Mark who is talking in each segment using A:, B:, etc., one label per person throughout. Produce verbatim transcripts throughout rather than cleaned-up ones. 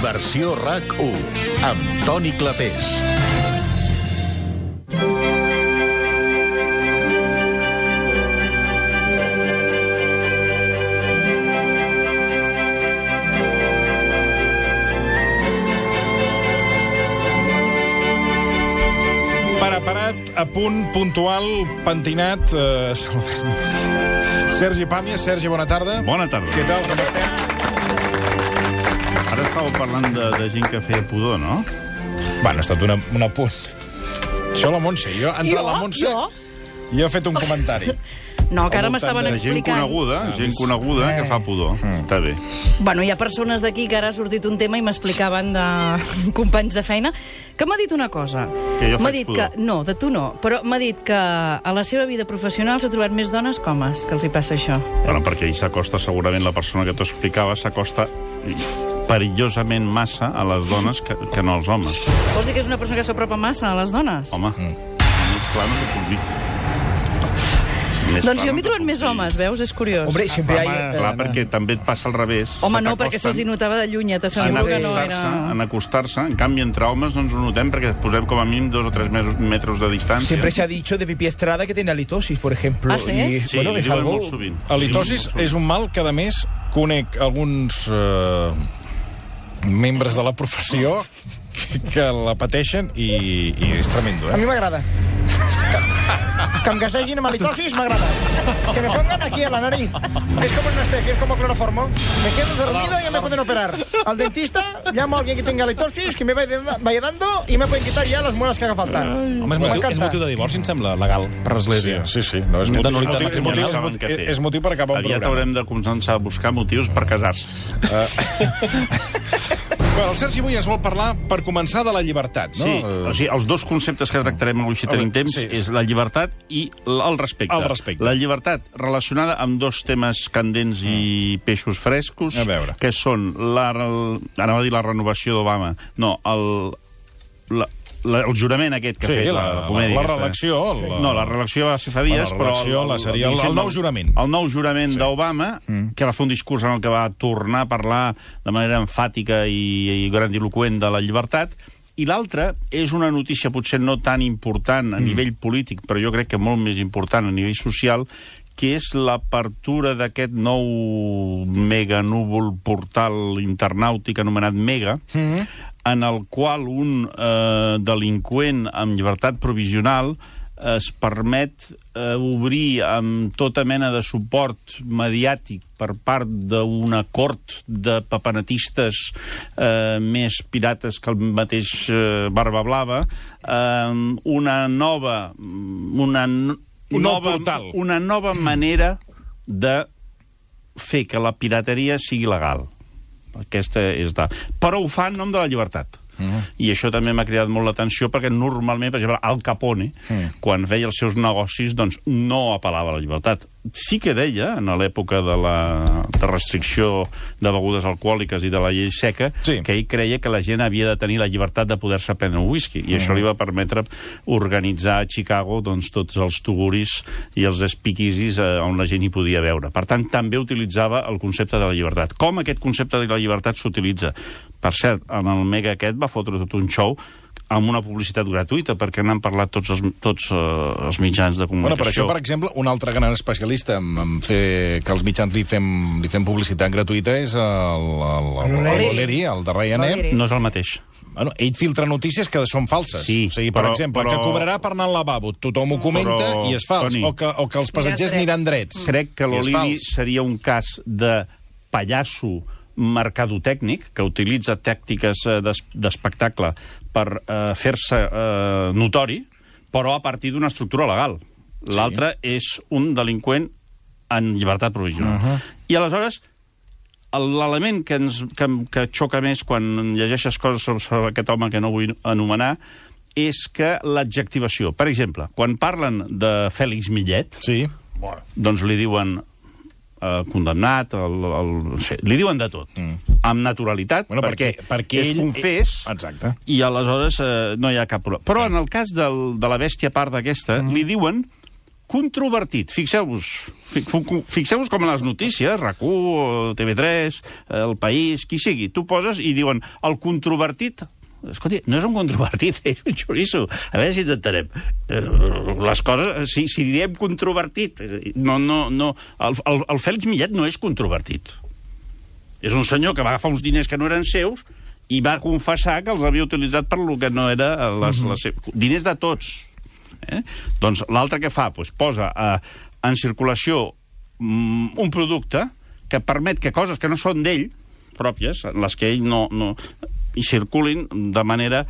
A: Versió RAC u, amb Toni Clapés.
B: Preparat, a punt, puntual, pentinat... Eh, Sergi Pàmies. Sergi, bona tarda.
C: Bona tarda.
B: Què tal, com estem?
C: Ara estàveu parlant de, de gent que feia pudor, no?
B: Bueno, ha estat una, una punt. Això la Montse. Jo, ha entrat
D: Jo?
B: la Montse
D: Jo?
B: i he fet un comentari.
D: No, que ara
B: Al
D: m'estaven
B: voltant de
C: Gent
D: explicant.
C: coneguda, gent coneguda que fa pudor. Està bé.
D: Bueno, hi ha persones d'aquí que ara ha sortit un tema i m'explicaven de companys de feina que m'ha dit una cosa.
C: Que jo
D: M'ha
C: faig
D: dit
C: pudor.
D: que, no, de tu no, però m'ha dit que a la seva vida professional s'ha trobat més dones que homes, que els hi passa això.
C: Bueno, perquè ell s'acosta, segurament, la persona que t'ho explicava, s'acosta perillosament massa a les dones que, que no als homes.
D: Vols dir que és una persona que s'apropa massa a les dones?
C: Home, mm. més clar no t'ho puc dir. Més
D: Doncs
C: clar
D: jo
C: no
D: m'hi
C: t'ho
D: trobat
C: puc
D: més
C: dir.
D: homes, veus? És curiós.
E: Hombre, siempre hay...
C: Home, clar, perquè també et passa al revés.
D: Home, no,
C: S'acosten
D: perquè se'ls hi notava de lluny,
C: en
D: t'asseguro que no
C: acostar-se,
D: era...
C: en acostar-se. En canvi, entre homes no ens ho notem perquè posem com a mínim dos o tres mesos, metros de distància.
E: Siempre se ha dicho de Pipi Estrada que tiene halitosis, por ejemplo.
D: ¿Ah, sí?
E: Y,
C: Sí,
E: bueno,
C: li
E: es
C: diuen
E: algo...
C: molt sovint.
B: Halitosis
C: Sí, molt
B: és un mal que, a més, conec alguns eh, membres de la professió que la pateixen i, i és tremendo,
E: A
B: eh?
E: mí me agrada. Que em gasegin amb halitosis m'agrada. Que me pongan aquí a la nariz. Es como en una stefia, es como cloroformo. Me quedo dormido y ya me pueden operar. Al dentista, llamo a alguien que tenga halitosis, que me vaya vaya dando y me pueden quitar ya las muelas que haga falta.
F: Home, és motiu, és motiu de divorci, em sembla, legal, per l'església.
B: Sí, sí, no, és
F: De
B: motiu,
F: nulitat
B: és, motiu, és, motiu, és,
C: saben
B: motiu,
C: què fer.
B: és motiu per acabar un
C: Aviat
B: programa.
C: haurem de començar a buscar motius per casar-se.
B: Bueno, el Sergi avui es vol parlar, per començar, de la llibertat, no?
C: Sí,
B: Eh,
C: o sigui, els dos conceptes que tractarem avui, si
B: Home,
C: tenim temps,
B: sí.
C: és la llibertat i l- el respecte.
B: El respecte.
C: La llibertat relacionada amb dos temes candents i peixos frescos,
B: A veure.
C: que són, la, el, anava a dir la renovació d'Obama, no, el, la, la, el jurament aquest que
B: Sí,
C: ha fet
B: la-
C: la,
B: la-
C: comèdia.
B: la
C: aquesta.
B: reelecció, la-
C: No, la reelecció va ser fa dies,
B: Bueno, la reelecció,
C: però...
B: la seria el- el nou jurament.
C: El nou jurament
B: Sí.
C: d'Obama,
B: Mm.
C: que va fer un discurs en el que va tornar a parlar de manera enfàtica i, i grandiloquent de la llibertat, i l'altre és una notícia potser no tan important a
B: Mm.
C: nivell polític, però jo crec que molt més important a nivell social, que és l'apertura d'aquest nou meganúvol portal internàutic anomenat Mega,
B: Mhm.
C: en el qual un eh, delinqüent amb llibertat provisional es permet eh, obrir amb tota mena de suport mediàtic per part d'una cort de papanatistes eh, més pirates que el mateix eh, Barba Blava, eh, una nova... Una, n-
B: Un nou
C: nova,
B: portal.
C: una nova manera de fer que la pirateria sigui legal. Aquesta és de... Però ho fa en nom de la llibertat.
B: Mm.
C: I això també m'ha cridat molt l'atenció perquè normalment, per exemple, Al Capone,
B: Mm.
C: quan feia els seus negocis, doncs no apel·lava a la llibertat. Sí que deia, en l'època de la de restricció de begudes alcohòliques i de la llei seca,
B: Sí.
C: que ell creia que la gent havia de tenir la llibertat de poder-se prendre un whisky, i
B: Mm.
C: això li va permetre organitzar a Chicago doncs, tots els tuguris i els speakeasies eh, on la gent hi podia veure. Per tant, també utilitzava el concepte de la llibertat. Com aquest concepte de la llibertat s'utilitza? Per cert, en el Mega aquest va fotre tot un show amb una publicitat gratuïta, perquè n'han parlat tots els, tots, uh, els mitjans de
B: Bueno, per això,
C: comunicació.
B: per exemple, un altre gran especialista en, en fer que els mitjans li fem, li fem publicitat gratuïta és el, el, el, el Valeri, el de Ryanair.
D: Valeri.
C: No és el mateix.
B: Bueno, ell filtra notícies que són falses.
C: Sí,
B: o sigui, per
C: però-
B: exemple,
C: però-
B: que cobrarà per anar al lavabo. Tothom ho comenta
C: Però,
B: i és fals.
C: Toni,
B: O que, o que els passatgers
D: Ja és dret.
B: aniran drets.
C: Crec que
B: I és
C: l'Olivi
B: fals.
C: seria un cas de pallasso mercadotècnic, que utilitza tàctiques eh, d'es- d'espectacle per eh, fer-se eh, notori, però a partir d'una estructura legal. L'altre és un delinqüent en llibertat provisional.
B: Uh -huh.
C: I aleshores, el- l'element que, ens, que, que xoca més quan llegeixes coses sobre, sobre aquest home que no vull anomenar és que l'adjectivació. Per exemple, quan parlen de Fèlix Millet,
B: Sí.
C: doncs li diuen eh, condemnat, el, el, no sé, li diuen de tot,
B: Mm.
C: amb naturalitat,
B: Bueno,
C: perquè,
B: perquè- perquè
C: és
B: ell-
C: confés,
B: Exacte.
C: i aleshores eh, no hi ha cap problema. Però en el cas del, de la bèstia part d'aquesta,
B: Mm.
C: li diuen controvertit. Fixeu-vos, fixeu-vos com a les notícies, RAC u, T V tres, El País, qui sigui. Tu poses i diuen el controvertit. Escolta, no és un controvertit, és un xoriço. A veure si ens entenem. Les coses, si, si diem controvertit, no, no, no. El, el, el Fèlix Millet no és controvertit. És un senyor que va agafar uns diners que no eren seus i va confessar que els havia utilitzat per lo que no era les, les seves... Diners de tots. Eh? Doncs l'altre que fa, doncs posa eh, en circulació mm, un producte que permet que coses que no són d'ell, pròpies, les que ell no... no i circulin de manera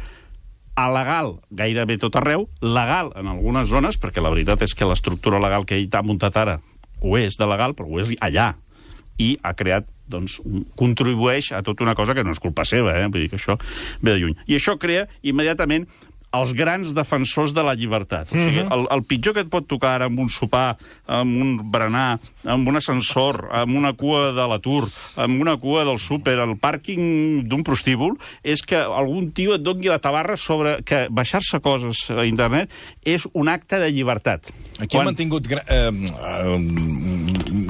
C: alegal gairebé tot arreu, legal en algunes zones, perquè la veritat és que l'estructura legal que ell t'ha muntat ara ho és de legal, però ho és allà. I ha creat, doncs, contribueix a tota una cosa que no és culpa seva, eh? Vull dir que això ve de lluny. I això crea immediatament els grans defensors de la llibertat. O sigui, el, el pitjor que et pot tocar ara amb un sopar, amb un berenar, amb un ascensor, amb una cua de l'atur, amb una cua del súper, al pàrquing d'un prostíbul, és que algun tio et doni la tabarra sobre que baixar-se coses a internet és un acte de llibertat.
B: Aquí Quan... hem mantingut eh,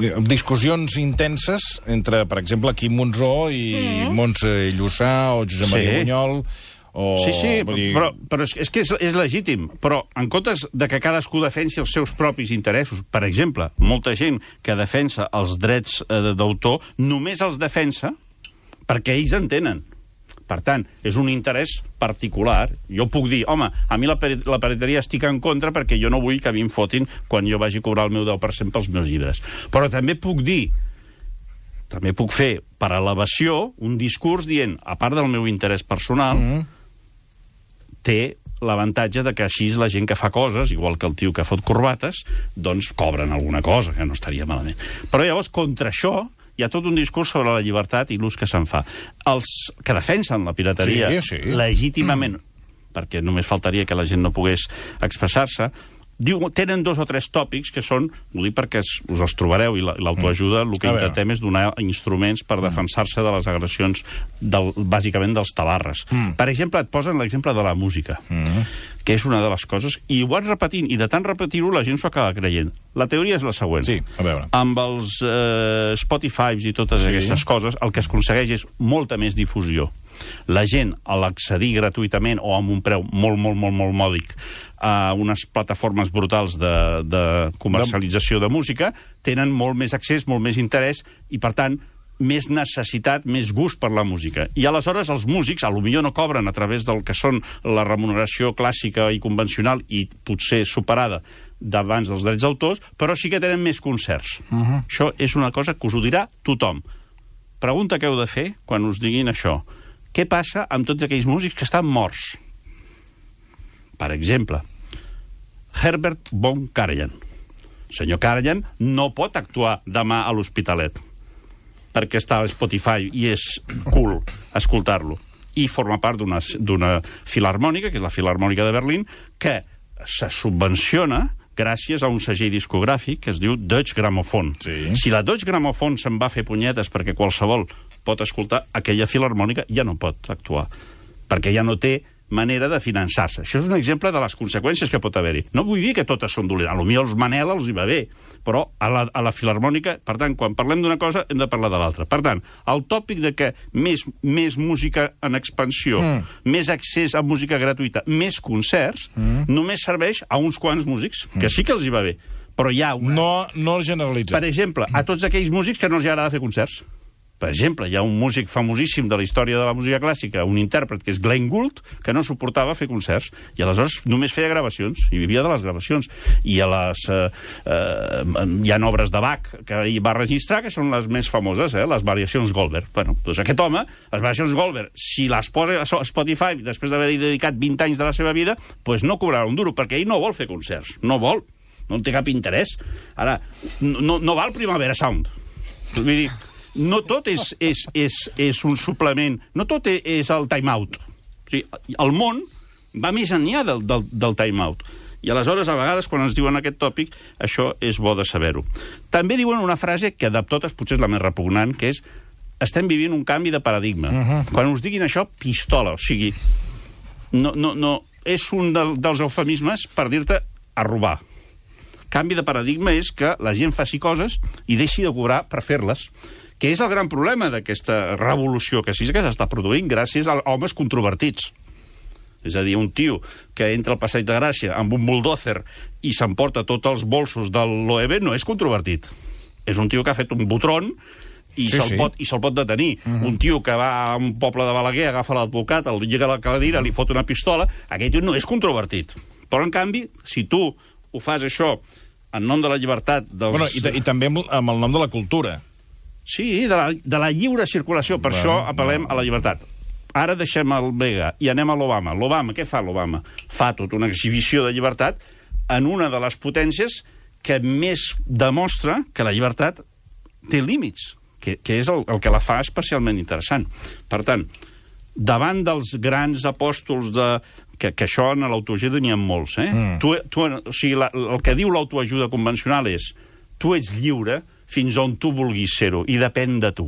B: eh, discussions intenses entre, per exemple, Quim Monzó i mm. Montse Llussà o Josep sí. Maria Bunyol... O...
C: Sí, sí, dir... però, però és que és, és legítim. Però en comptes de que cadascú defensi els seus propis interessos, per exemple, molta gent que defensa els drets eh, d'autor només els defensa perquè ells en tenen. Per tant, és un interès particular. Jo puc dir, home, a mi la, la pirateria estic en contra perquè jo no vull que a mi em fotin quan jo vagi a cobrar el meu deu per cent pels meus llibres. Però també puc dir, també puc fer per elevació un discurs dient, a part del meu interès personal, mm. té l'avantatge de que així la gent que fa coses, igual que el tio que fot corbates, doncs cobren alguna cosa, que no estaria malament. Però llavors, contra això, hi ha tot un discurs sobre la llibertat i l'ús que se'n fa. Els que defensen la pirateria
B: sí, sí.
C: legítimament, mm. perquè només faltaria que la gent no pogués expressar-se, diu, tenen dos o tres tòpics que són, ho dic perquè us els trobareu, i l'autoajuda el que intentem és donar instruments per defensar-se de les agressions, del, bàsicament dels tabarres. Mm. Per exemple, et posen l'exemple de la música, mm. que és una de les coses, i ho vas repetint, i de tant repetir-ho la gent s'ho acaba creient. La teoria és la següent.
B: Sí, a veure.
C: Amb els eh, Spotify i totes sí. aquestes coses, el que es aconsegueix és molta més difusió. La gent, a l'accedir gratuïtament o amb un preu molt, molt, molt, molt mòdic a unes plataformes brutals de, de comercialització de música, tenen molt més accés, molt més interès i, per tant, més necessitat, més gust per la música. I aleshores els músics, a lo millor no cobren a través del que són la remuneració clàssica i convencional i potser superada d'abans dels drets d'autors, però sí que tenen més concerts. Uh-huh. Això és una cosa que us ho dirà tothom. Pregunta que heu de fer quan us diguin això. Què passa amb tots aquells músics que estan morts? Per exemple, Herbert von Karajan. Senyor Karajan no pot actuar demà a l'Hospitalet perquè està a Spotify i és cool escoltar-lo. I forma part d'una filarmònica, que és la Filarmònica de Berlín, que se subvenciona gràcies a un segell discogràfic que es diu Deutsche Grammophon.
B: Sí.
C: Si la Deutsche Grammophon se'n va fer punyetes perquè qualsevol pot escoltar, aquella filarmònica ja no pot actuar, perquè ja no té manera de finançar-se. Això és un exemple de les conseqüències que pot haver-hi. No vull dir que totes són dolentes. Potser els Manel els hi va bé, però a la, a la filarmònica, per tant, quan parlem d'una cosa, hem de parlar de l'altra. Per tant, el tòpic de que més, més música en expansió, mm. més accés a música gratuïta, més concerts, mm. només serveix a uns quants músics, que sí que els hi va bé, però hi ha una...
B: No, no generalitza.
C: Per exemple, a tots aquells músics que no els agrada fer concerts. Per exemple, hi ha un músic famosíssim de la història de la música clàssica, un intèrpret, que és Glenn Gould, que no suportava fer concerts, i aleshores només feia gravacions, i vivia de les gravacions. I a les, eh, eh, hi ha obres de Bach que ell va registrar, que són les més famoses, eh, les variacions Goldberg. Bueno, doncs aquest home, les variacions Goldberg, si les posa a Spotify, després d'haver-hi dedicat vint anys de la seva vida, doncs no cobrarà un duro, perquè ell no vol fer concerts, no vol, no té cap interès. Ara, no, no val Primavera Sound. Vull dir, no tot és, és, és, és un suplement, no tot és el time-out. O sigui, el món va més enllà del, del, del time-out. I aleshores, a vegades, quan ens diuen aquest tòpic, això és bo de saber-ho. També diuen una frase que de totes potser és la més repugnant, que és estem vivint un canvi de paradigma. Uh-huh. Quan us diguin això, pistola, o sigui, no, no, no, és un del, dels eufemismes per dir-te a robar. canvi de paradigma és que la gent faci coses i deixi de cobrar per fer-les, que és el gran problema d'aquesta revolució que sí que s'està produint gràcies a homes controvertits. És a dir, un tio que entra al Passeig de Gràcia amb un bulldozer i s'emporta tots els bolsos de l'O E B no és controvertit. És un tio que ha fet un botron i
B: Sí,
C: se'l
B: sí.
C: pot, i se'l pot detenir.
B: Mhm.
C: Un tio que va a un poble de Balaguer, agafa l'advocat, el llega a la cadira, li fot una pistola, aquell tio no és controvertit. Però, en canvi, si tu ho fas això en nom de la llibertat dels...
B: Bueno, i, ta- i també amb, amb el nom de la cultura.
C: Sí, de la, de la lliure circulació. Per
B: Bueno,
C: això apel·lem
B: no.
C: a la llibertat. Ara deixem el Vega i anem a l'Obama. L'Obama, què fa l'Obama? Fa tota una exhibició de llibertat en una de les potències que més demostra que la llibertat té límits, que, que és el, el que la fa especialment interessant. Per tant, davant dels grans apòstols de... Que, que això en l'autoajuda n'hi ha molts, eh?
B: Mm.
C: Tu, tu, o sigui, la, el que diu l'autoajuda convencional és tu ets lliure fins on tu vulguis ser-ho, i depèn de tu.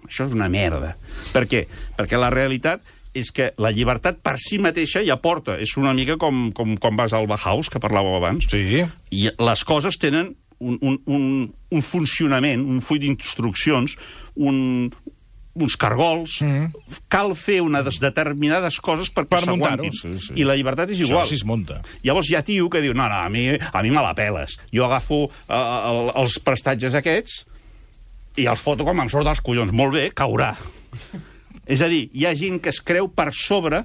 C: Això és una merda. Per què? Perquè la realitat és que la llibertat per si mateixa ja porta. És una mica com, com quan vas al Bauhaus, que parlàveu abans.
B: Sí.
C: I les coses tenen un, un, un, un funcionament, un full d'instruccions, un, uns cargols...
B: Mm.
C: Cal fer unes determinades coses perquè
B: Per muntar-ho,
C: s'aguantin.
B: sí, sí.
C: I la llibertat és igual.
B: Això sí es munta.
C: Llavors hi ha tio que diu, no, no, a mi, a mi me la peles. Jo agafo uh, el, els prestatges aquests i els foto com em surt dels collons. Molt bé, caurà. És a dir, hi ha gent que es creu per sobre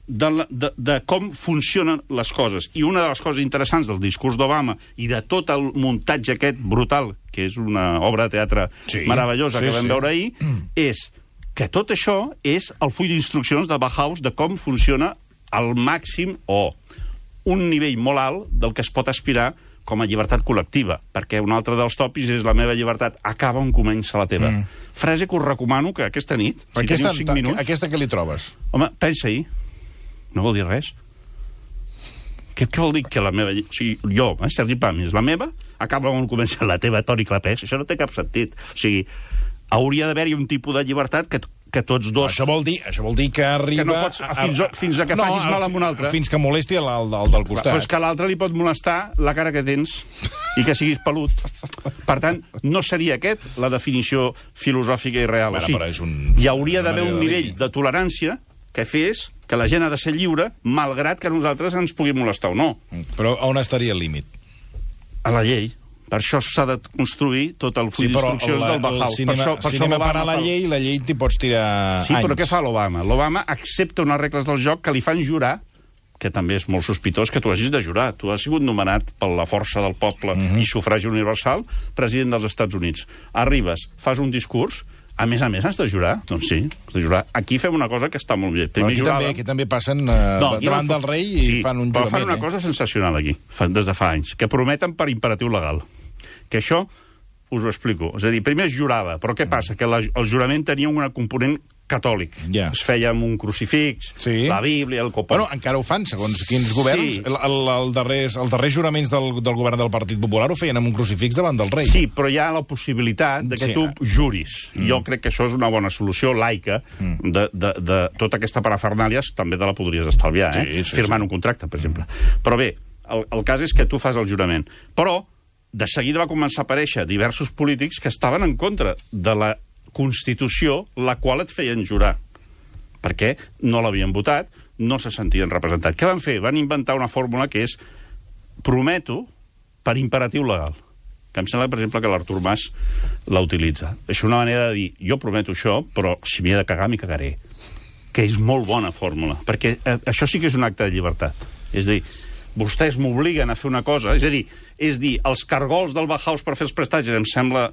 C: de, la, de, de com funcionen les coses. I una de les coses interessants del discurs d'Obama i de tot el muntatge aquest brutal, que és una obra de teatre
B: Sí,
C: meravellosa
B: sí,
C: que vam
B: sí.
C: veure ahir, és que tot això és el full d'instruccions de Bauhaus de com funciona al màxim o un nivell molt alt del que es pot aspirar com a llibertat col·lectiva, perquè un altre dels tòpics és la meva llibertat acaba on comença la teva.
B: Mm.
C: Frase que us recomano que aquesta nit, si
B: Aquesta,
C: teniu cinc minuts...
B: aquesta que li trobes?
C: Home, pensa-hi. No vol dir res. Què, què vol dir que la meva... O sigui, jo, eh, Sergi Pàmies, la meva acaba on comença la teva, Toni Clapés. Això no té cap sentit. O sigui, hauria d'haver-hi un tipus de llibertat que, que tots dos...
B: Això vol dir, això vol dir que arriba...
C: Que no pots- fins a- fins a que facis mal amb un altre.
B: Fins que molesti el, el, el del costat.
C: Però és que a l'altre li pot molestar la cara que tens i que siguis pelut. Per tant, no seria aquest la definició filosòfica i real.
B: Bueno,
C: o sigui,
B: però és un-
C: hi hauria
B: una
C: d'haver un
B: manera de
C: nivell
B: dir.
C: de tolerància que fes que la gent ha de ser lliure, malgrat que a nosaltres ens pugui molestar o no.
B: Però on estaria el límit?
C: A la llei. Per això s'ha de construir tot el full
B: Sí, però
C: d'instruccions
B: la-
C: del Bauhaus.
B: si
C: Per
B: anem,
C: això,
B: a-
C: per
B: si
C: això
B: anem a
C: l'Obama
B: parar la
C: fa-
B: llei, la llei t'hi pots tirar
C: Sí,
B: anys.
C: però què fa l'Obama? L'Obama accepta unes regles del joc que li fan jurar, que també és molt sospitós que tu hagis de jurar. Tu has sigut nomenat per la força del poble
B: Mhm.
C: i sufragi universal president dels Estats Units. Arribes, fas un discurs, a més a més has de jurar? Doncs sí, has de jurar. Aquí fem una cosa que està molt bé.
B: Però
C: Primer
B: aquí,
C: juràvem-
B: també, aquí també passen eh,
C: No, aquí
B: davant
C: no-
B: del rei i
C: sí,
B: fan un
C: però
B: jurament.
C: fan una
B: eh?
C: cosa sensacional aquí, fa, des de fa anys, que prometen per imperatiu legal. Que això us ho explico. És a dir, primer es jurava, però què passa? Que la, el jurament tenia un component catòlic.
B: Ja.
C: Es feia amb un crucifix,
B: Sí.
C: la Bíblia, el copó.
B: Bueno, encara ho fan, segons quins governs.
C: Sí.
B: El, el, el darrers, els darrers juraments del, del govern del Partit Popular ho feien amb un crucifix davant del rei.
C: Sí, però hi ha la possibilitat de que
B: Sí.
C: tu juris. Mm. Jo crec que això és una bona solució laica
B: Mm.
C: de, de, de tota aquesta parafernàlia, també te la podries estalviar, eh?
B: Sí, sí,
C: firmant
B: sí.
C: un contracte, per exemple. Però bé, el, el cas és que tu fas el jurament. Però de seguida va començar a aparèixer diversos polítics que estaven en contra de la Constitució, la qual et feien jurar. Perquè no l'havien votat, no se sentien representats. Què van fer? Van inventar una fórmula que és prometo per imperatiu legal. Que em sembla, per exemple, que l'Artur Mas la utilitza. És una manera de dir, jo prometo això, però si m'hi he de cagar, m'hi cagaré. Que és molt bona fórmula, perquè eh, això sí que és un acte de llibertat. És a dir, vostès m'obliguen a fer una cosa, és a dir, és dir, els cargols del Bauhaus per fer els prestatges, em sembla,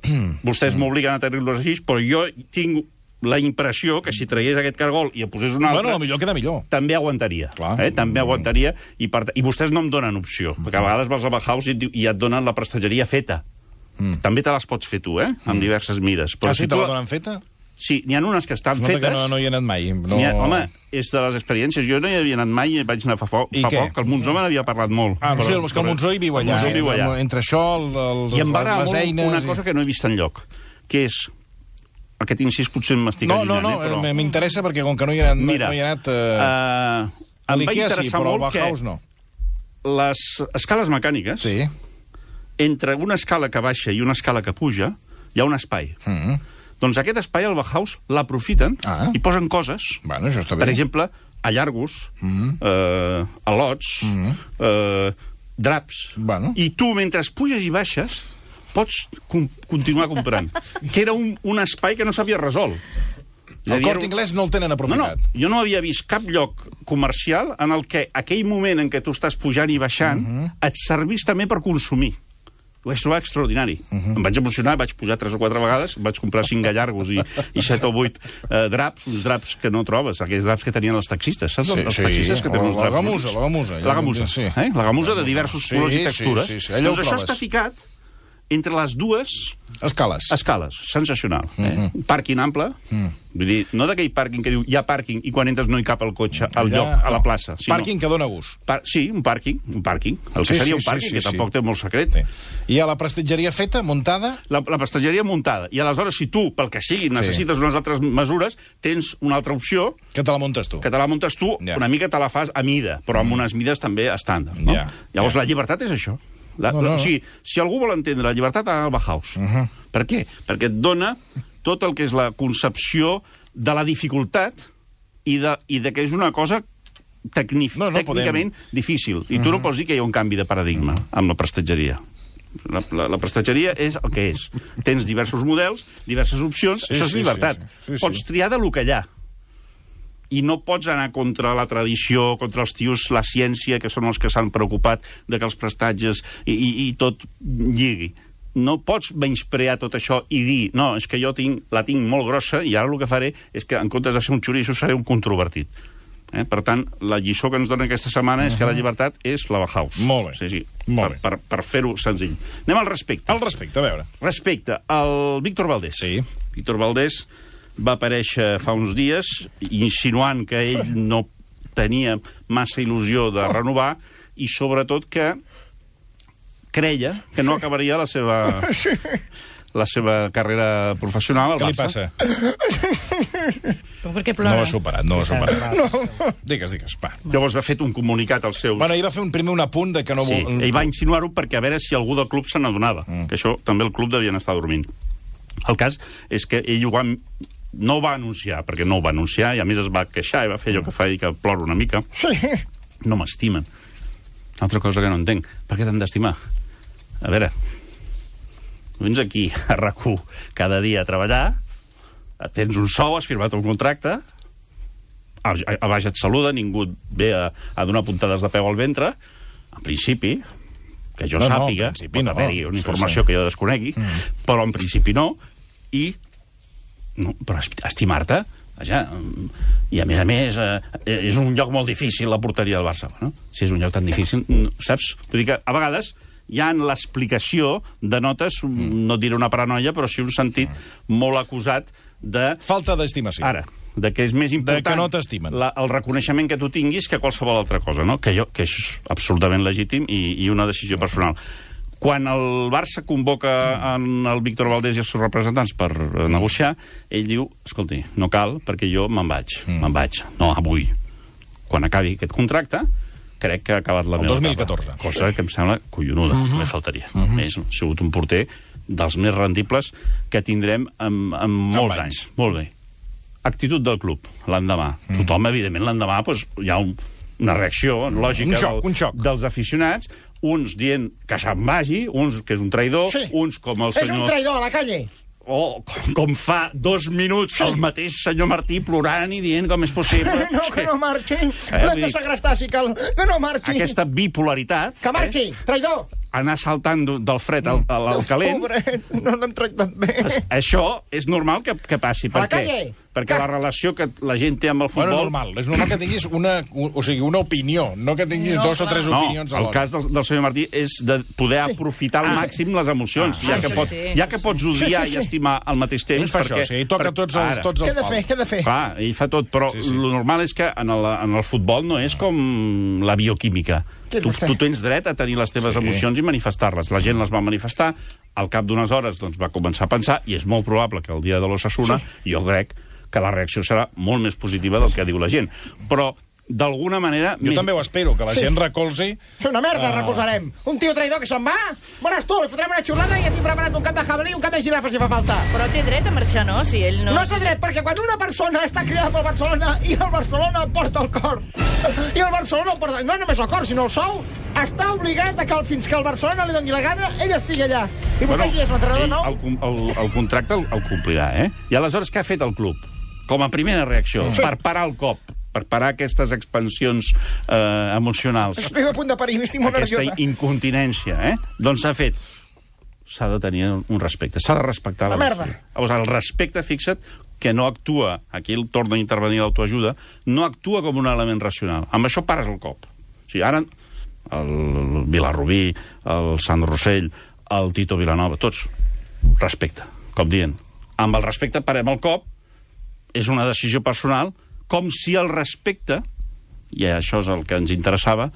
C: vostès m'obliguen a tenir-los així, però jo tinc la impressió que si tragués aquest cargol i en posés un altre...
B: Bueno, millor queda millor.
C: També aguantaria.
B: Clar.
C: Eh? També aguantaria. I, per, I vostès no em donen opció, perquè a vegades vas a Bauhaus i, et diu- i et donen la prestatgeria feta.
B: Mm.
C: També te les pots fer tu, eh? Amb diverses mides.
B: Ah, sí,
C: si
B: te
C: tu
B: la donen feta?
C: Sí, n'hi ha unes que estan
B: Es nota
C: fetes...
B: que no, no hi he anat mai. No...
C: N'hi Ha, home, és de les experiències. Jo no hi havia anat mai i vaig anar fa, fa,
B: I
C: fa
B: què?
C: poc, que el Monzó me n'havia parlat molt.
B: Ah, sí, és que el Monzó hi viu allà.
C: El Monzó
B: eh?
C: viu allà.
B: Entre això, el, el,
C: I em va agradar
B: les
C: molt
B: eines...
C: una cosa que no he vist enlloc, que és... Aquest incís potser m'estic
B: No, no,
C: allunyant,
B: no,
C: eh, però...
B: m'interessa perquè com que no hi he anat...
C: Mira,
B: no hi he anat eh...
C: uh,
B: a
C: em va
B: l'Ikea sí,
C: interessar
B: però al
C: molt que
B: Bauhaus no.
C: les escales mecàniques
B: Sí.
C: entre una escala que baixa i una escala que puja, hi ha un espai.
B: Mm.
C: Doncs aquest espai, el Bauhaus, l'aprofiten
B: Ah.
C: i posen coses.
B: Bueno, això està bé.
C: Per exemple, allargos,
B: Mm.
C: eh, al·lots,
B: Mm.
C: eh, draps.
B: Bueno.
C: I tu, mentre puges i baixes, pots com continuar comprant. Que era un, un espai que no s'havia resolt. És a
B: El
C: dir,
B: Corte
C: era un-
B: Inglés no el tenen
C: No, no,
B: aprofitat.
C: jo no havia vist cap lloc comercial en el que aquell moment en què tu estàs pujant i baixant
B: Mhm.
C: et servís també per consumir. Ho vaig trobar extraordinari.
B: Mhm.
C: Em vaig emocionar, vaig pujar tres o quatre vegades, vaig comprar cinc allargos i, i set o vuit eh, draps, uns draps que no trobes, aquells draps que tenien els taxistes. Saps
B: Sí,
C: els
B: sí.
C: taxistes que tenen
B: O
C: uns
B: la
C: draps?
B: gamusa,
C: bonics?
B: la gamusa.
C: La gamusa,
B: Sí.
C: eh? La gamusa de diversos
B: Sí,
C: colors i
B: sí,
C: textures.
B: sí, sí. Allò ho
C: Doncs això
B: trobes.
C: està ficat entre les dues
B: Escales.
C: escales. Sensacional. Eh?
B: Mhm.
C: Pàrquing ample.
B: Mm.
C: Vull dir, no d'aquell pàrquing que diu hi ha pàrquing i quan entres no hi cap el cotxe al
B: Allà,
C: lloc, a la
B: no.
C: plaça. Sinó,
B: Pàrquing que dona gust.
C: Par sí, un pàrquing, un pàrquing. El que
B: Sí,
C: seria
B: sí,
C: un pàrquing,
B: sí, sí,
C: que
B: sí.
C: tampoc té molt secret.
B: Sí. I a la prestatgeria feta, muntada...
C: La, la prestatgeria muntada. I aleshores, si tu, pel que sigui, necessites unes altres mesures, tens una altra opció,
B: Que te la muntes tu.
C: que te la muntes tu,
B: Ja.
C: una mica te la fas a mida, però amb unes mides també estàndard. No?
B: Ja,
C: Llavors,
B: ja.
C: la llibertat és això. La,
B: No, no.
C: O sigui, si algú vol entendre la llibertat, ha d'anar al Bauhaus.
B: Uh -huh.
C: Per què? Perquè et dona tot el que és la concepció de la dificultat i de, i de que és una cosa tecni
B: No, no
C: tècnicament difícil. I tu no pots dir que hi ha un canvi de paradigma amb la prestatgeria. La, la, la prestatgeria és el que és. Tens diversos models, diverses opcions,
B: Sí,
C: això és
B: sí,
C: llibertat.
B: sí, sí. Sí, sí.
C: Pots triar de lo que hi ha. I no pots anar contra la tradició, contra els tios, la ciència, que són els que s'han preocupat de que els prestatges i, i, i tot lligui. No pots menysprear tot això i dir, no, és que jo tinc, la tinc molt grossa i ara el que faré és que en comptes de ser un xoriço seré un controvertit. Eh? Per tant, la lliçó que ens dona aquesta setmana és que la llibertat és la Bauhaus.
B: Molt bé.
C: Sí, sí,
B: Molt
C: per,
B: bé.
C: per, per fer-ho senzill. Anem al respecte.
B: Al respecte, a veure.
C: Respecte al Víctor Valdés.
B: Sí.
C: Víctor Valdés va aparèixer fa uns dies insinuant que ell no tenia massa il·lusió de renovar i sobretot que creia que no acabaria la seva la seva carrera professional al
B: Què li
C: Barça.
B: passa?
D: Però per què
B: No
D: plora?
B: ho ha superat, no ho ha superat. Digues, digues, va.
C: Llavors va fet un comunicat als seus...
B: Bueno, ell va fer un primer un apunt de que no...
C: Sí,
B: vol-
C: ell va insinuar-ho perquè a veure si algú del club se n'adonava,
B: Mm.
C: que això també el club devien estar dormint. El cas és que ell ho va, no ho va anunciar, perquè no ho va anunciar, i a més es va queixar i va fer allò que fa ell, que plora una mica.
E: Sí.
C: No m'estimen. Altra cosa que no entenc. Per què t'han d'estimar? A veure, vens aquí a RAC u cada dia a treballar, tens un sou, has firmat un contracte, a, a, a baix et saluda, ningú et ve a, a donar puntades de peu al ventre, en principi, que jo
B: No, no,
C: sàpiga,
B: en principi
C: pot
B: no.
C: haver-hi una
B: Sí,
C: informació
B: sí.
C: que jo desconegui,
B: Mm.
C: però en principi no, i no, però esti- estimar-te, vaja, mm, i a més a més eh, és un lloc molt difícil la porteria del Barça, no? Si és un lloc tan difícil, mm, saps? Vull dir que a vegades hi ha en l'explicació de notes, mm. no et diré una paranoia, però sí un sentit mm. molt acusat de...
B: Falta d'estimació.
C: Ara, de que és més important
B: que no t'estimen.
C: la, el reconeixement que tu tinguis que qualsevol altra cosa, no? Que, jo, que és absolutament legítim i, i una decisió personal. Quan el Barça convoca en el Víctor Valdés i els seus representants per eh, negociar, ell diu, escolti, no cal, perquè jo me'n vaig,
B: Mm.
C: me'n vaig. No, avui. Quan acabi aquest contracte, crec que ha acabat la
B: El
C: meva
B: dos mil
C: etapa.
B: catorze.
C: Cosa que em sembla collonuda,
B: Mhm.
C: només faltaria. És, ha sigut un porter dels més rendibles que tindrem en, en molts
B: anys.
C: anys. Molt bé. Actitud del club, l'endemà. Mm. Tothom, evidentment, l'endemà doncs, hi ha un, una reacció lògica
B: Un xoc,
C: del,
B: un xoc.
C: dels aficionats, uns dient que se'n vagi, uns que és un traïdor,
E: Sí.
C: uns com el
E: És un
C: senyor...
E: traïdor a la calle.
C: O com, com fa dos minuts sí. el mateix senyor Martí plorant i dient com és possible...
E: No, que no marxi.
C: Eh,
E: L'hem
C: vull
E: de
C: dir-
E: segrestar, si cal. Que no marxi.
C: Aquesta bipolaritat...
E: Que marxi,
C: Eh?
E: traïdor.
C: Anar saltant d- del fred al, al, al calent...
E: Pobret, no l'hem tractat bé.
C: Això és normal que, que passi.
E: A
C: Per
E: la
C: què?
E: calle.
C: Perquè
E: Que-
C: la relació que la gent té amb el
B: Bueno,
C: futbol...
B: normal. És normal que tinguis una, o sigui, una opinió, no que tinguis
D: No,
B: dos o
D: clar.
B: tres
C: No,
B: opinions
C: el
B: alhora.
C: cas del, del senyor Martí és de poder aprofitar al màxim les emocions,
B: Ah,
C: ja,
D: sí,
C: que
D: sí,
C: pots,
D: sí.
C: ja que pots odiar
E: Sí, sí, sí.
C: i estimar al mateix temps.
B: Ell fa això,
C: perquè,
B: sí, ell toca tots els,
C: ara,
B: tots els
E: Què ha de fer, què ha de fer?
C: Clar, ell fa tot, però
B: Sí,
C: sí,
B: sí.
C: sí. lo normal és que en el, en el futbol no és com la bioquímica.
E: Què
C: Tu,
E: vostè?
C: tu tens dret a tenir les teves
B: Sí.
C: sí. emocions i manifestar-les. La gent les va manifestar, al cap d'unes hores doncs, va començar a pensar, i és molt probable que el dia de l'Osasuna, sí. jo crec que la reacció serà molt més positiva del que diu la gent. Però d'alguna manera...
B: Jo també ho espero, que la
E: Sí.
B: gent recolzi...
E: Fer una merda,
B: Ah.
E: recolzarem. Un tio traïdor que se'n va, veuràs tu, li fotrem una xulada i ja tinc preparat un cap de jabalí i un cap de girafa si fa falta.
D: Però té dret a marxar, no? Si ell no...
E: No té dret, perquè quan una persona està cridada pel Barcelona i el Barcelona porta el cor, i el Barcelona el porta... No només el cor, sinó el sou, està obligat a que el, fins que el Barcelona li doni la gana, ell estigui allà. I vostè qui és, l'entrenador
C: ell,
E: nou?
C: el, com- el, el contracte el, el complirà, eh? I aleshores què ha fet el club? Com a primera reacció,
E: Sí.
C: per parar el cop, per parar aquestes expansions eh, emocionals,
E: Estic a punt de parir, estic molt
C: aquesta
E: nerviosa.
C: incontinència, eh? Doncs s'ha fet. S'ha de tenir un respecte, s'ha de respectar la,
E: La merda.
C: decisió. Llavors, el respecte, fixa't, que no actua, aquí el torna a intervenir l'autoajuda, no actua com un element racional. Amb això pares el cop. O sigui, ara el Vilarrubí, el Sant Rossell, el Tito Vilanova, tots, respecte, com dient. Amb el respecte parem el cop, és una decisió personal, com si el respecte, i això és el que ens interessava,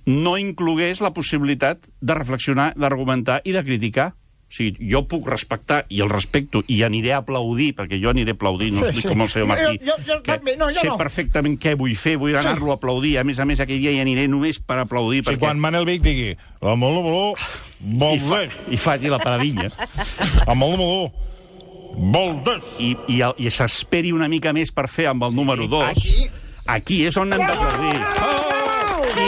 C: no inclogués la possibilitat de reflexionar, d'argumentar i de criticar. O sigui, jo puc respectar i el respecto i aniré a aplaudir, perquè jo aniré a aplaudir, no
E: Sí,
C: sí,
E: sí.
C: com el senyor Martí,
E: Jo- jo- jo
C: que
E: també, no, jo
C: sé
E: no.
C: perfectament què vull fer, vull anar-lo a aplaudir. A més a més, aquell dia hi aniré només per aplaudir.
B: Si
C: perquè...
B: quan Manel Vic digui amb el número
C: I, fa,
B: Valdés,
C: I faci la paradilla.
B: amb el número Valdés.
C: I, i, el- i s'esperi una mica més per fer amb el número dos.
E: aquí.
C: Aquí és on hem d'aplaudir. Oh! I,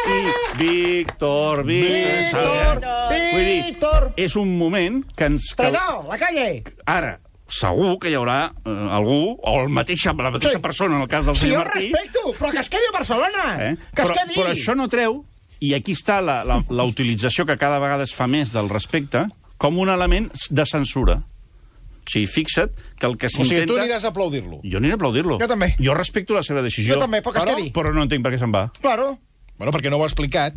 C: i Víctor, Víctor...
E: Víctor,
C: Vull dir,
E: Víctor.
C: és un moment que ens... Que,
E: Traïdor, la calle.
C: ara, segur que hi haurà eh, algú, o el mateix, la mateixa
E: Sí.
C: persona, en el cas del
E: Si jo
C: senyor Martí...
E: respecto, però que es quedi a Barcelona.
C: Eh?
E: Que es
C: Però,
E: quedi.
C: però això no treu, i aquí està la, la, la utilització que cada vegada es fa més del respecte, com un element de censura. O sigui, fixa't que el que
B: O sigui,
C: s'intenta...
B: tu aniràs a aplaudir-lo.
C: Jo aniré a aplaudir-lo.
E: Jo també.
C: Jo respecto la seva decisió.
E: Jo també, però que es quedi.
C: Però no entenc per què se'n va.
E: Claro.
B: Bueno, perquè no ho ha explicat.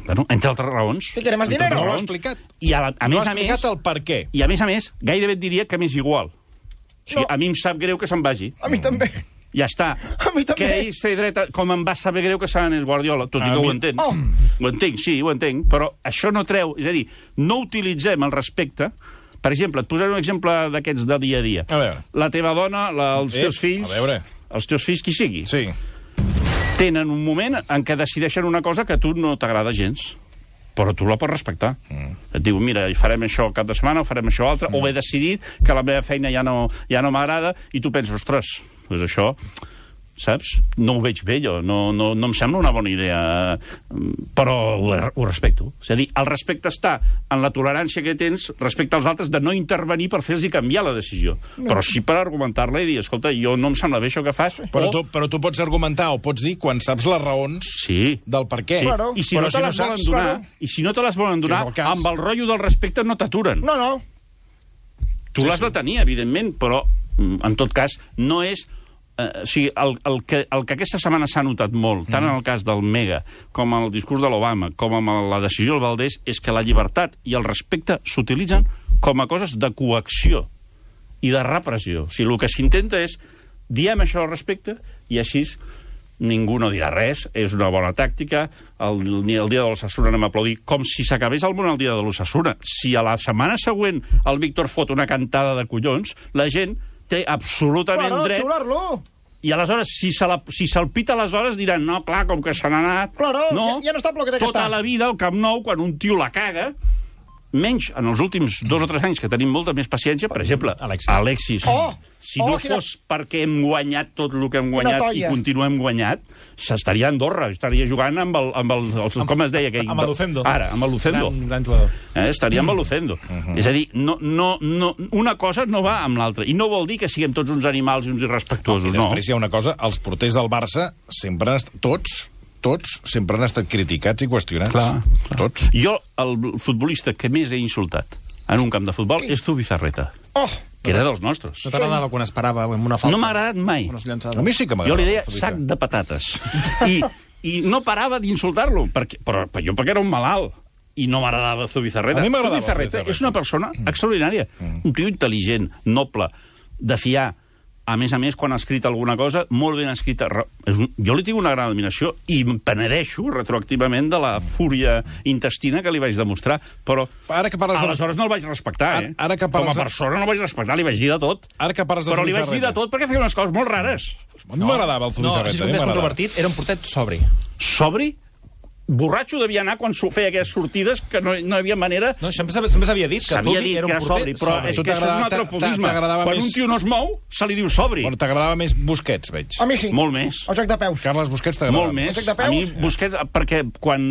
C: Bueno, entre altres raons.
E: ¿Qué queremos,
C: Entre
E: dinero?
C: altres
B: No ho ha
C: raons.
B: explicat.
C: I a, la, a
B: No
C: més
B: ha
C: a més...
B: explicat el per què.
C: I a més a més, gairebé et diria que m'és igual. O sigui,
E: No.
C: a mi em sap greu que se'n vagi.
E: A mi també.
C: Ja està.
E: A mi també.
C: Que ell té dret, a, com em va saber greu que se n'anés Guardiola, tot i
B: A
C: que
B: mi-
C: ho entenc.
E: Oh.
C: Ho entenc, sí, ho entenc, però això no treu... És a dir, no utilitzem el respecte... Per exemple, et posaré un exemple d'aquests de dia a dia.
B: A veure.
C: La teva dona, la, els
B: Eh,
C: teus fills...
B: a veure.
C: Els teus fills, qui sigui,
B: Sí.
C: tenen un moment en què decideixen una cosa que a tu no t'agrada gens, però tu la pots respectar. Mm. Et diu, mira, farem això cap de setmana, o farem això altre, mm. o he decidit que la meva feina ja no, ja no m'agrada, i tu penses, ostres, doncs això, saps? No ho veig bé, jo, no, no, no em sembla una bona idea, però ho, ho respecto. És a dir, el respecte està en la tolerància que tens respecte als altres de no intervenir per fer-los canviar la decisió, no. Però sí per argumentar-la i dir, escolta, jo no em sembla bé això que fas,
B: Però
C: o...
B: tu, però tu pots argumentar o pots dir quan saps les raons
C: Sí.
B: del per què.
C: Sí.
E: Claro.
C: I si
B: Però
C: no te
B: si no
C: les volen
B: saps,
C: donar,
E: claro.
C: i si no te les volen donar,
B: Que és el cas.
C: amb el rotllo del respecte no t'aturen.
E: No, no.
C: Tu l'has de tenir, evidentment, però, mm, en tot cas, no és... Eh, o sigui, el, el, que, el que aquesta setmana s'ha notat molt, tant en el cas del Mega, com en el discurs de l'Obama, com amb la decisió del Valdés, és que la llibertat i el respecte s'utilitzen com a coses de coacció i de repressió. O sigui, el que s'intenta és, diem això al respecte, i així ningú no dirà res, és una bona tàctica, el, ni el dia de l'Osasuna anem a aplaudir, com si s'acabés el món el dia de l'Osasuna. Si a la setmana següent el Víctor fot una cantada de collons, la gent té absolutament
E: Claro,
C: dret...
E: xular-lo.
C: I aleshores, si se'l si se pita aleshores, diran, no, clar, com que se n'ha anat...
E: Claro,
C: no,
E: ja- ja no està pel que té que
C: tota
E: estar.
C: la vida, al Camp Nou, quan un tio la caga, menys en els últims dos o tres anys que tenim molta més paciència, per exemple,
F: Alexis.
C: Alexis.
E: Oh!
C: Si
E: Oh,
C: no
E: quina-
C: fos perquè hem guanyat tot el que hem
E: Quina
C: guanyat i
E: toia.
C: continuem guanyat, s'estaria a Andorra, estaria jugant amb el... Amb el, el com es deia aquell?
F: amb el Lucendo.
C: Ara, amb el Lucendo.
F: Gran, gran jugador.
C: Eh, estaria amb el Lucendo. Uh -huh. És a dir, no, no, no, una cosa no va amb l'altra. I no vol dir que siguem tots uns animals i uns irrespectuosos,
B: I
C: no.
B: després hi ha una cosa, els porters del Barça sempre han estat, tots, tots, sempre han estat criticats i qüestionats.
C: Clar, clar.
B: Tots.
C: Jo, el futbolista que més he insultat en un camp de futbol és Zubizarreta,
E: Oh,
C: que era dels nostres.
F: No t'agradava quan es parava amb una falta?
C: No m'ha agradat mai.
F: Unes llançades.
B: A mi sí que
C: Jo
B: m'agrada.
C: li deia
B: el futbolista.
C: sac de patates. I, i no parava d'insultar-lo, perquè, però, però jo perquè era un malalt. I no m'agradava Zubizarreta.
B: A mi m'agradava
C: Zubizarreta
B: Zubizarreta.
C: és una persona extraordinària. Un tio intel·ligent, noble, de fiar. A més a més, quan ha escrit alguna cosa, molt ben escrita. Re- és un- Jo li tinc una gran admiració i em penedeixo retroactivament de la fúria intestina que li vaig demostrar, però
B: Ara que parles de-
C: aleshores no el vaig respectar, eh?
B: Ara- ara que
C: Com
B: parles
C: a
B: de-
C: persona no el vaig respectar, li vaig dir de tot.
B: Ara que parles de
C: Però li vaig dir
B: Zubizarreta.
C: de tot perquè feia unes coses molt rares.
B: A mi m'agradava el
F: No,
B: Zubizarreta.
F: si és
B: a mi
F: més
B: m'agradava.
F: controvertit, era un portet sobri.
C: Sobri? Borratxo devia anar quan s'ho feia aquelles sortides que no, no hi havia manera...
F: No, sempre sempre s'havia dit que
C: S'havia
F: Zubi
C: dit
F: era
C: que
F: un
C: era
F: porter
C: sobri, però
F: sobri.
C: és que això és un altre
B: T'agrada-
C: fofisme.
B: t'agradava
C: Quan
B: més-
C: un tio no es mou, se li diu sobri.
B: Bueno, t'agradava més Busquets, veig.
E: A mi sí.
C: Molt més.
E: El joc de peus.
B: Carles Busquets t'agradava
C: Molt més.
E: joc de peus?
C: A mi Busquets, perquè quan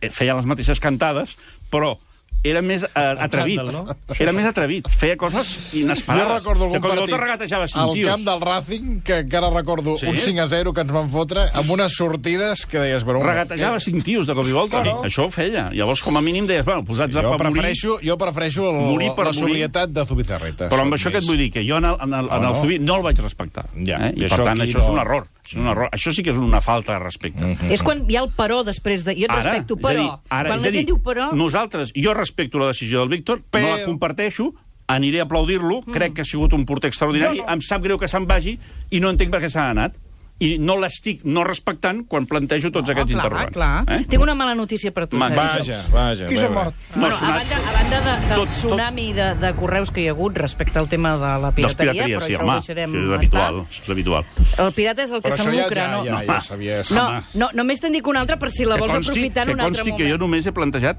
C: feia les mateixes cantades, però era més eh, atrevit.
F: xandall, no?
C: Era més atrevit. Feia coses inesperades.
B: Jo recordo algun
C: de cop i volta
B: partit
C: regatejava cinc
B: al
C: tios.
B: camp del Racing, que encara recordo
C: Sí?
B: un cinc a zero que ens van fotre, amb unes sortides que deies... Però,
C: Regatejava cinc tios de cop i volta.
E: Claro.
C: Això ho feia. Llavors, com a mínim, deies, bueno, posats a
B: Jo
C: per morir...
B: prefereixo, jo prefereixo el,
C: Morir per
B: la
C: morir.
B: sobrietat de Zubizarreta.
C: Però amb
B: Soc
C: això que et
B: més-
C: vull dir, que jo en el, en el, en
B: No,
C: el
B: no.
C: Zubi no el vaig respectar.
B: Ja,
C: eh?
B: i
C: I per
B: això
C: tant,
B: aquí
C: això és
B: no.
C: un error. És un error. Això sí que és una falta de respecte.
B: Mhm.
D: És quan hi ha el però després de... Jo et respecto,
C: és a dir,
D: però...
C: ara,
D: quan
C: és
D: la
C: a dir,
D: gent diu però...
C: nosaltres, jo respecto la decisió del Víctor,
B: Però-
C: no la comparteixo, aniré a aplaudir-lo, mm. crec que ha sigut un porter extraordinari,
E: No, no.
C: em sap greu que se'n vagi i no entenc per què s'ha anat. I no l'estic no respectant quan plantejo tots
D: No,
C: aquests
D: clar,
C: interrogants.
D: clar.
C: Eh?
D: Tinc una mala notícia per tu,
C: Ma-
D: Sergi.
B: Vaja, vaja.
E: Qui
B: bé,
E: s'ha
B: bé.
E: mort?
D: Bueno,
C: M'ha
D: a
C: sonat-
D: banda, a banda de, del
C: tot- tot-
D: tsunami de, de correus que hi ha hagut respecte al tema de la
C: Dels
D: pirateria,
C: pirateria,
D: però
C: sí,
D: això
C: home,
D: ho deixarem
C: això és habitual.
D: estar.
C: Això és habitual.
D: El pirata és el que
B: Però
D: se'n
B: això ja,
D: lucra,
B: ja,
D: no?
B: ja, ja sabies...
D: No,
C: Home.
D: no, només te'n dic una altra per si la vols aprofitar en
C: que
D: un altre
C: consti
D: moment.
C: que jo només he plantejat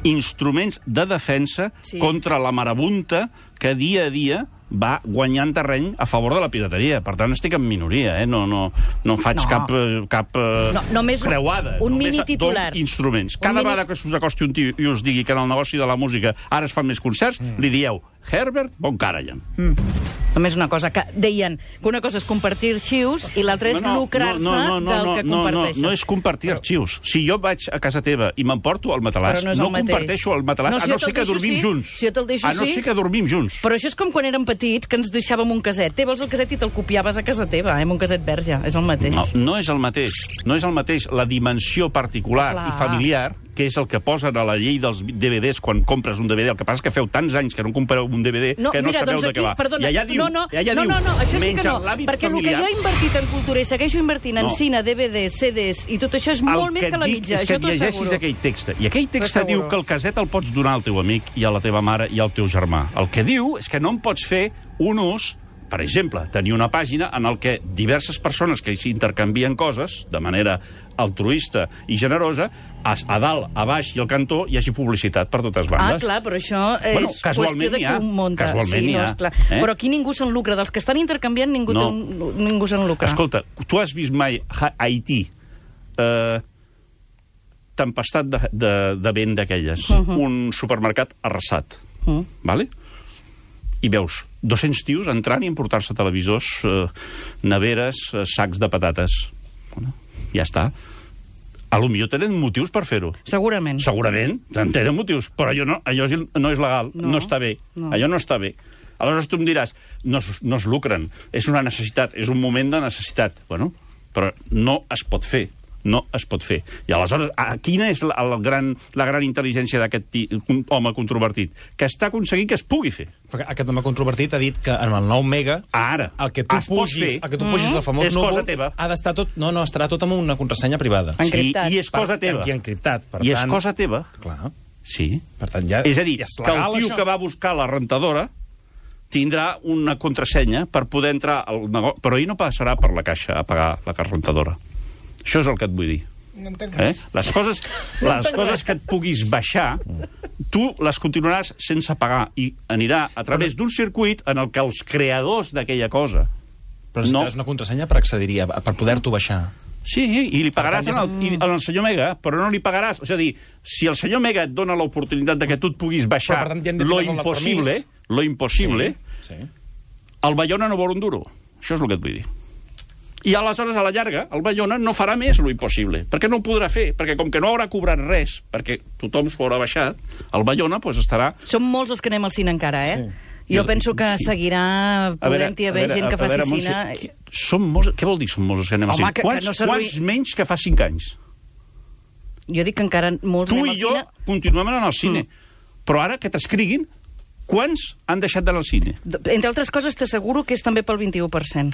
C: instruments de defensa
D: Sí.
C: contra la marabunta que dia a dia va guanyant terreny a favor de la pirateria. Per tant, estic en minoria, eh? No, no, no faig
D: No.
C: cap, eh, cap eh,
D: No, només un-
C: creuada.
D: un
C: Només
D: mini titular.
C: dono instruments.
D: Un
C: Cada
D: mini-
C: vegada que us acosti un tio i us digui que en el negoci de la música ara es fan més concerts, mm. li dieu Herbert von Karajan.
D: Mm. Només una cosa, que deien que una cosa és compartir arxius i l'altra és lucrar-se del que
C: no,
D: comparteixes.
C: No, no és compartir arxius. Si jo vaig a casa teva i m'emporto el matalàs,
D: Però no és
C: no,
D: el mateix.
C: comparteixo el matalàs,
D: No, si
C: a
D: jo
C: no
D: te'l
C: ser que
D: deixo,
C: dormim
D: sí.
C: junts.
D: Si jo te'l deixo,
C: a no
D: sí.
C: ser que dormim junts.
D: Però això és com quan érem petits, que ens deixàvem un caset. Te vols el caset i te'l copiaves a casa teva, eh, amb un caset verge. És el mateix.
C: No, no és el mateix. No és el mateix la dimensió particular
D: Clar.
C: i familiar, que és el que posen a la llei dels D V Ds quan compres un D V D. El que passa és que feu tants anys que no compreu un D V D
D: No,
C: que no
D: mira,
C: sabeu
D: doncs
C: de
D: aquí,
C: què va.
D: perdona,
C: I allà diu,
D: no, no,
C: i allà
D: no,
C: diu,
D: no, no, això sí
C: menys
D: que no,
C: en l'àmbit
D: perquè
C: familiar...
D: el que jo he invertit en cultura i segueixo invertint en
C: No.
D: cine, D V Ds, C Ds i tot això és molt
C: el
D: més
C: que
D: que la
C: et dic
D: mitja,
C: és que
D: això
C: et
D: t'ho
C: llegeixis
D: asseguro.
C: aquell text. I aquell text
D: T'ho
C: diu
D: asseguro.
C: que el caset el pots donar al teu amic i a la teva mare i al teu germà. El que diu és que no en pots fer un ús, per exemple, tenir una pàgina en el que diverses persones que s'intercanvien coses de manera altruista i generosa, a, a dalt, a baix i al cantó hi hagi publicitat per totes
D: Ah,
C: bandes.
D: clar, però això és
C: Bueno,
D: qüestió
C: casualment
D: de
C: n'hi
D: qui
C: ha.
D: ho munta.
C: Casualment
D: sí,
C: n'hi
D: no,
C: ha.
D: esclar.
C: Eh?
D: Però aquí ningú se'n lucra. Dels que estan intercanviant, ningú,
C: No.
D: té un, ningú se'n lucra.
C: Escolta, tu has vist mai a Haití eh, tempestat de, de, de vent d'aquelles, uh -huh. un supermercat arrasat,
D: Uh -huh.
C: vale? I veus dos-cents tios entrant i emportar-se televisors, eh, neveres, eh, sacs de patates. Bueno, ja està. A lo millor tenen motius per fer-ho.
D: Segurament.
C: Segurament, tenen motius, però allò no, allò és- no és legal, no,
D: No.
C: no està bé.
D: No.
C: Allò no està bé. Aleshores tu em diràs, no, es- no es lucren, és una necessitat, és un moment de necessitat. Bueno, però no es pot fer. No es pot fer. I aleshores, a, quina és la, el gran, la gran intel·ligència d'aquest ti- un home controvertit? Que està aconseguint que es pugui fer.
F: Perquè aquest home controvertit ha dit que en el nou Mega
C: Ara,
F: el que tu
C: es pot
F: pugis,
C: fer.
F: el que tu pugis al famós
C: És cosa
F: núvol
C: teva.
F: ha d'estar tot... No, no, estarà tot amb una contrasenya privada.
D: Encriptat.
C: I, I és cosa
F: Per-
C: teva.
F: I encriptat. Per
C: I és
F: tant,
C: cosa teva.
F: Clar.
C: Sí.
F: Per tant, ja...
C: És a dir,
F: ja és
C: que el
F: legal,
C: tio
F: això.
C: que va buscar la rentadora tindrà una contrasenya per poder entrar al negoci, però ell no passarà per la caixa a pagar la rentadora. Això és el que et vull dir.
E: No entenc
C: Eh?
E: res.
C: Les coses, les coses que et puguis baixar, tu les continuaràs sense pagar i anirà a través d'un circuit en el que els creadors d'aquella cosa...
F: Però necessitaràs
C: no.
F: una contrasenya per accedir-hi, per poder-t'ho baixar.
C: Sí, i li pagaràs
F: Per tant,
C: al, i- al senyor Mega, però no li pagaràs... És a dir, si el senyor Mega et dona l'oportunitat de que tu et puguis baixar
F: Però, per tant, ja hem de
C: lo
F: ficar-nos el
C: impossible,
F: permís.
C: lo impossible,
F: Sí.
C: el Bayona no vol un duro. Això és el que et vull dir. I aleshores, a la llarga, el Bayona no farà més lo impossible, perquè no ho podrà fer, perquè com que no haurà cobrat res, perquè tothom s'ho haurà baixat, el Bayona pues, estarà...
D: Som molts els que anem al cine encara, eh?
F: Sí.
D: Jo penso que seguirà podent-hi haver gent que faci
C: veure,
D: cine...
C: Montse, qui- som molts, què vol dir som molts els que anem al
D: Home,
C: cine?
D: que- que
C: Quants,
D: no s'arruï-
C: quants menys que fa cinc anys?
D: Jo dic que encara molts
C: Tu
D: anem
C: i
D: al
C: jo
D: cine...
C: continuem anant al cine.
D: Mm.
C: Però ara que t'escriguin, quants han deixat d'anar al cine?
D: Entre altres coses, t'asseguro que és també pel vint-i-u per cent.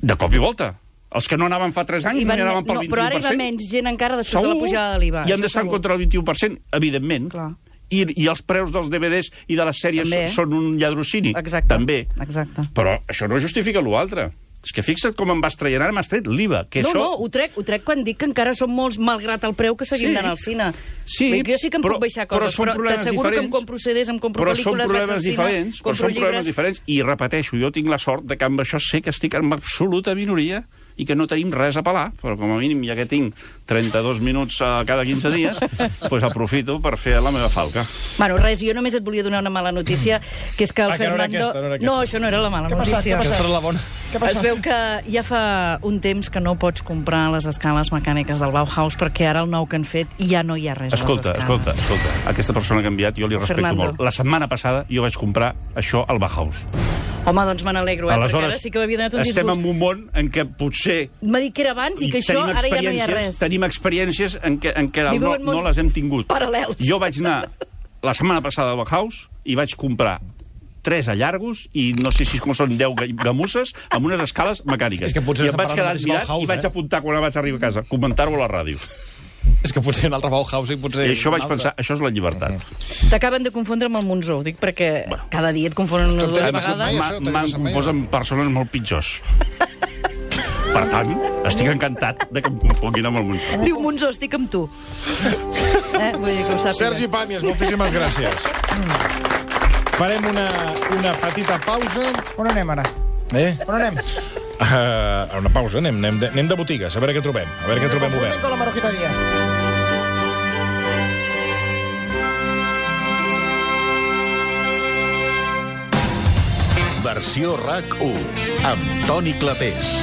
C: De cop i volta. Els que no anaven fa tres anys
D: I
C: no
D: van,
C: hi anaven pel
D: no,
C: vint-i-u
D: però
C: per cent.
D: ara hi va menys gent encara després de la pujada de l'I V A.
C: I han
D: això
C: d'estar en
D: segur.
C: contra del vint-i-u per cent, evidentment.
D: Clar.
C: I, I els preus dels D V Ds i de les sèries
D: També.
C: són un lladrocini.
D: Exacte.
C: També.
D: Exacte.
C: Però això no justifica l'altre. És que fixa't com em vas traient, ara m'has tret l'I V A. Que
D: no,
C: això...
D: no, ho trec, ho trec quan dic que encara som molts, malgrat el preu que seguim
C: Sí.
D: d'anar al cine.
C: Sí,
D: Vull dir que jo sí que em
C: però-
D: puc baixar
C: però
D: coses,
C: són
D: però,
C: problemes
D: t'asseguro que em
C: diferents.
D: compro C Ds, em compro
C: Però són
D: pel·lícules, vaig al
C: problemes
D: cine,
C: diferents, però
D: compro
C: són problemes
D: llibres...
C: diferents. I repeteixo, jo tinc la sort de que amb això sé que estic en absoluta minoria i que no tenim res a pelar, però com a mínim, ja que tinc trenta-dos minuts a cada quinze dies, doncs aprofito per fer la meva falca.
D: Bueno, res, jo només et volia donar una mala notícia, que és que el
B: Ah, que no era
D: Fernando...
B: aquesta, no era aquesta.
D: no, això no era la mala
E: Què ha passat,
D: notícia.
E: què ha passat?
F: Aquesta és la bona.
E: Què ha
D: Es
E: passat?
D: veu que ja fa un temps que no pots comprar les escales mecàniques del Bauhaus perquè ara el nou que han fet ja no hi ha res
C: Escolta,
D: a les
C: escolta,
D: escales.
C: escolta. Aquesta persona que ha enviat, jo li respecto
D: Fernando.
C: molt. La setmana passada jo vaig comprar això al Bauhaus.
D: Home, doncs me n'alegro, eh?
C: Aleshores,
D: perquè ara sí que m'havia donat un
C: estem
D: disgust.
C: en un món en què potser
D: M'ha dit que era abans i que això
C: tenim
D: ara ja no hi ha
C: experiències-
D: res.
C: Tenim experiències en què, en què
D: Vivim
C: no,
D: en mons
C: no les hem tingut.
D: paral·lels.
C: Jo vaig anar la setmana passada al Bauhaus i vaig comprar tres allargos i no sé si com són deu ga- gamusses amb unes escales mecàniques.
F: És que potser
C: I em
F: estem
C: vaig
F: parlant
C: quedar
F: del mateix
C: admirat
F: Bauhaus,
C: i vaig
F: eh?
C: apuntar quan vaig arribar a casa, comentar-ho a la ràdio.
F: És que potser un altre Bauhaus i potser...
C: I això
F: un
C: vaig
F: altre.
C: pensar, això és la llibertat.
D: T'acaben de confondre amb el Monzó, ho dic perquè cada dia et confonen una o dues
B: t'ha passat mai,
D: vegades.
B: això?
C: Ma-
B: t'ha
C: M'han
B: passat mai,
C: confós
B: o no?
C: amb persones molt pitjors. Per tant, estic encantat de que em confonguin amb el Monzó.
D: Diu Monzó, estic amb tu. Eh? Vull dir que ho sàpigues.
B: Sergi Pàmies, moltíssimes gràcies. Farem una, una petita pausa.
E: On anem ara?
B: Eh?
E: On anem?
B: Uh, una pausa, anem, anem, de, anem de botigues, a veure què trobem. A veure què trobem
E: Confunden
B: obert.
E: con la Marujita Díaz.
A: Versió RAC u amb Toni Clapés.